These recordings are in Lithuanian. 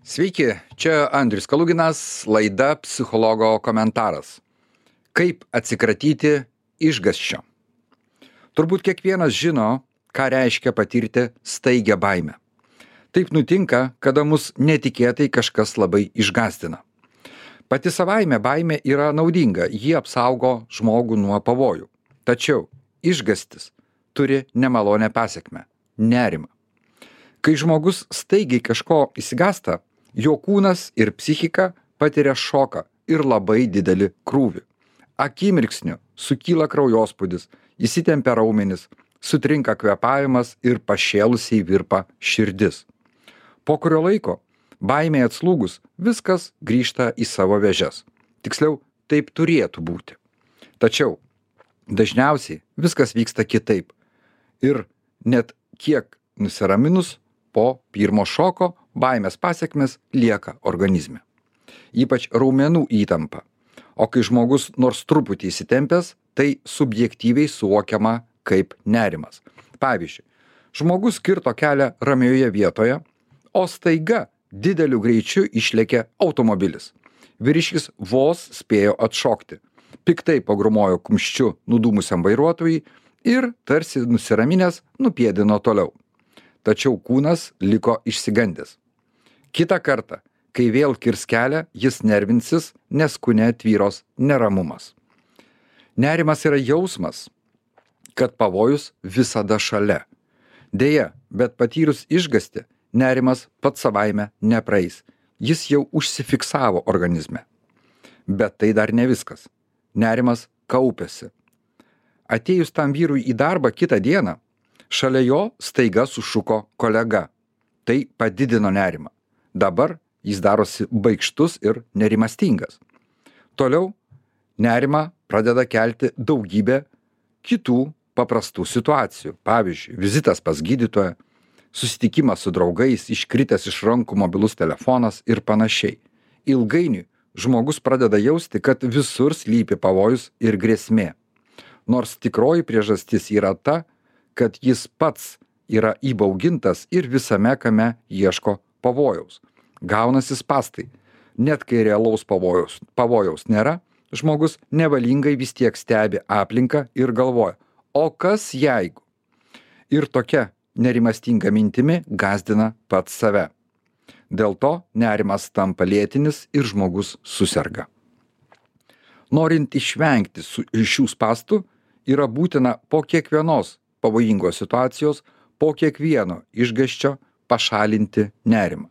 Sveiki, čia Andrius Kaluginas, laida Psichologo komentaras. Kaip atsikratyti išgąsčio? Turbūt kiekvienas žino, ką reiškia patirti staigią baimę. Taip nutinka, kada mus netikėtai kažkas labai išgąsdina. Pati savaime baimė yra naudinga, ji apsaugo žmogų nuo pavojų. Tačiau išgąstis turi nemalonę pasekmę – nerimą. Kai žmogus staigiai kažko išsigąsta, jo kūnas ir psichika patiria šoką ir labai didelį krūvį. Akimirksniu sukyla kraujospūdis, įsitempia raumenys, sutrinka kvėpavimas ir pašėlusiai virpa širdis. Po kurio laiko, baimė atslūgus, viskas grįžta į savo vėžes. Tiksliau, taip turėtų būti. Tačiau dažniausiai viskas vyksta kitaip. Ir net kiek nusiraminus po pirmo šoko, baimės pasekmės lieka organizme. Ypač raumenų įtampa. O kai žmogus nors truputį įsitempęs, tai subjektyviai suvokiama kaip nerimas. Pavyzdžiui, žmogus kirto kelią ramioje vietoje, o staiga dideliu greičiu išlėkė automobilis. Vyriškis vos spėjo atšokti. Piktai pagrūmojo kumščiu nudūmusiam vairuotojui ir tarsi nusiraminęs nupėdino toliau. Tačiau kūnas liko išsigandęs. Kitą kartą, kai vėl kirs kelią, jis nervinsis, nes kūne tvyros neramumas. Nerimas yra jausmas, kad pavojus visada šalia. Deja, bet patyrus išgąstį, nerimas pats savaime nepraeis. Jis jau užsifiksavo organizme. Bet tai dar ne viskas. Nerimas kaupiasi. Atėjus tam vyrui į darbą kitą dieną, šalia jo staiga sušuko kolega. Tai padidino nerimą. Dabar jis darosi baikštus ir nerimastingas. Toliau nerimą pradeda kelti daugybė kitų paprastų situacijų. Pavyzdžiui, vizitas pas gydytoją, susitikimas su draugais, iškritęs iš rankų mobilus telefonas ir panašiai. Ilgainiui žmogus pradeda jausti, kad visur slypi pavojus ir grėsmė. Nors tikroji priežastis yra ta, kad jis pats yra įbaugintas ir visame kame ieško pavojaus. Gaunasi spąstai. Net kai realaus pavojaus nėra, žmogus nevalingai vis tiek stebi aplinką ir galvoja, o kas jeigu? Ir tokia nerimastinga mintimi gąsdina pats save. Dėl to nerimas tampa lėtinis ir žmogus suserga. Norint išvengti šių spąstų, yra būtina po kiekvienos pavojingos situacijos, po kiekvieno išgąsčio pašalinti nerimą.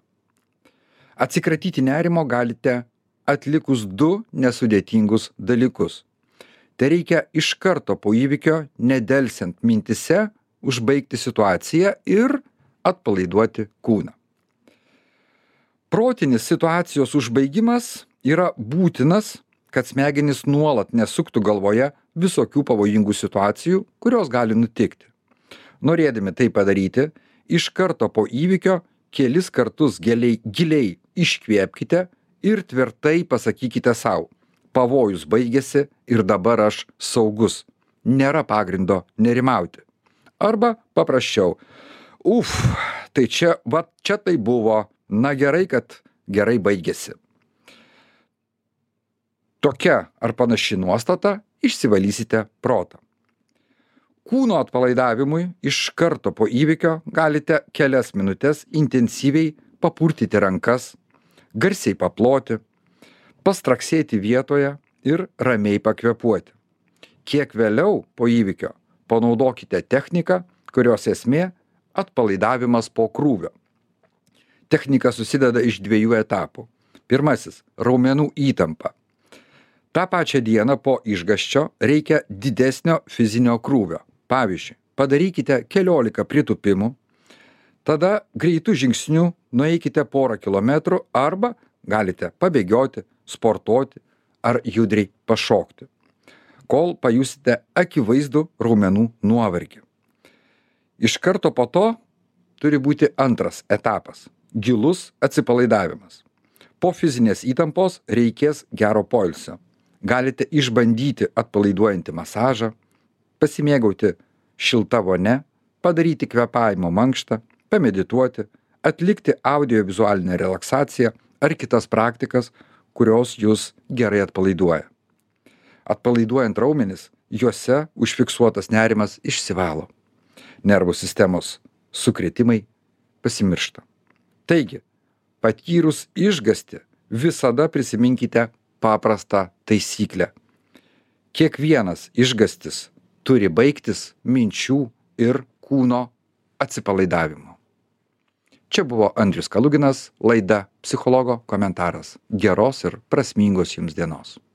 Atsikratyti nerimo galite atlikus 2 nesudėtingus dalykus. Tai reikia iš karto po įvykio, nedelsiant mintise, užbaigti situaciją ir atpalaiduoti kūną. Protinis situacijos užbaigimas yra būtinas, kad smegenys nuolat nesuktų galvoje visokių pavojingų situacijų, kurios gali nutikti. Norėdami tai padaryti, iš karto po įvykio kelis kartus giliai iškvėpkite ir tvirtai pasakykite sau, pavojus baigėsi ir dabar aš saugus, nėra pagrindo nerimauti. Arba paprasčiau, tai čia tai buvo, na gerai, kad gerai baigėsi. Tokia ar panaši nuostata išsivalysite protą. Kūno atpalaidavimui iš karto po įvykio galite kelias minutės intensyviai papurtyti rankas, garsiai paploti, pastraksėti vietoje ir ramiai pakvėpuoti. Kiek vėliau po įvykio panaudokite techniką, kurios esmė atpalaidavimas po krūvio. Technika susideda iš 2 etapų. Pirmasis – raumenų įtampa. Ta pačią dieną po išgąsčio reikia didesnio fizinio krūvio. Pavyzdžiui, padarykite 14 pritūpimų, tada greitų žingsnių nueikite porą kilometrų arba galite pabėgioti, sportuoti ar judriai pašokti, kol pajusite akivaizdų raumenų nuovargį. Iš karto po to turi būti antras etapas – gilus atsipalaidavimas. Po fizinės įtampos reikės gero poilsio. Galite išbandyti atpalaiduojantį masažą, pasimėgauti šilta vonia, padaryti kvėpavimo mankštą, pamedituoti atlikti audiovizualinę relaksaciją ar kitas praktikas, kurios jūs gerai atpalaiduoja. Atpalaiduojant raumenis, juose užfiksuotas nerimas išsivalo. Nervų sistemos sukrėtimai pasimiršta. Taigi, patyrus išgąstį, visada prisiminkite paprastą taisyklę. Kiekvienas išgąstis turi baigtis minčių ir kūno atsipalaidavimu. Čia buvo Andrius Kaluginas, laida Psichologo komentaras. Geros ir prasmingos jums dienos.